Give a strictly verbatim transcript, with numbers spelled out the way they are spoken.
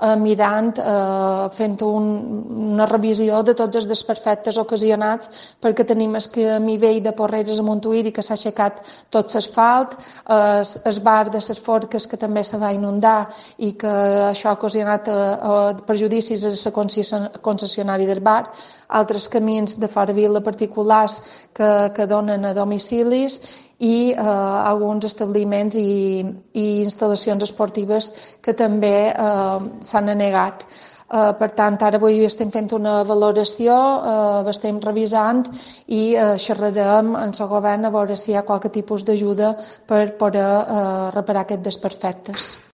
eh, mirant, eh, fent un, una revisió de tots els desperfectes ocasionats perquè tenim el camí vell de Porreres a Montuïri que s'ha aixecat tot l'asfalt, eh, el bar de les Forques que també se va inundar i que això ha ocasionat eh, eh, perjudicis a la concessionària del bar, altres camins de fora vila particulars que, que donen a domicilis i eh, alguns establiments i, i instal·lacions esportives que també eh, s'han anegat. Eh, per tant, ara avui estem fent una valoració, eh, estem revisant i eh, xerrarem en el govern a veure si hi ha qualque tipus d'ajuda per poder eh, reparar aquests desperfectes.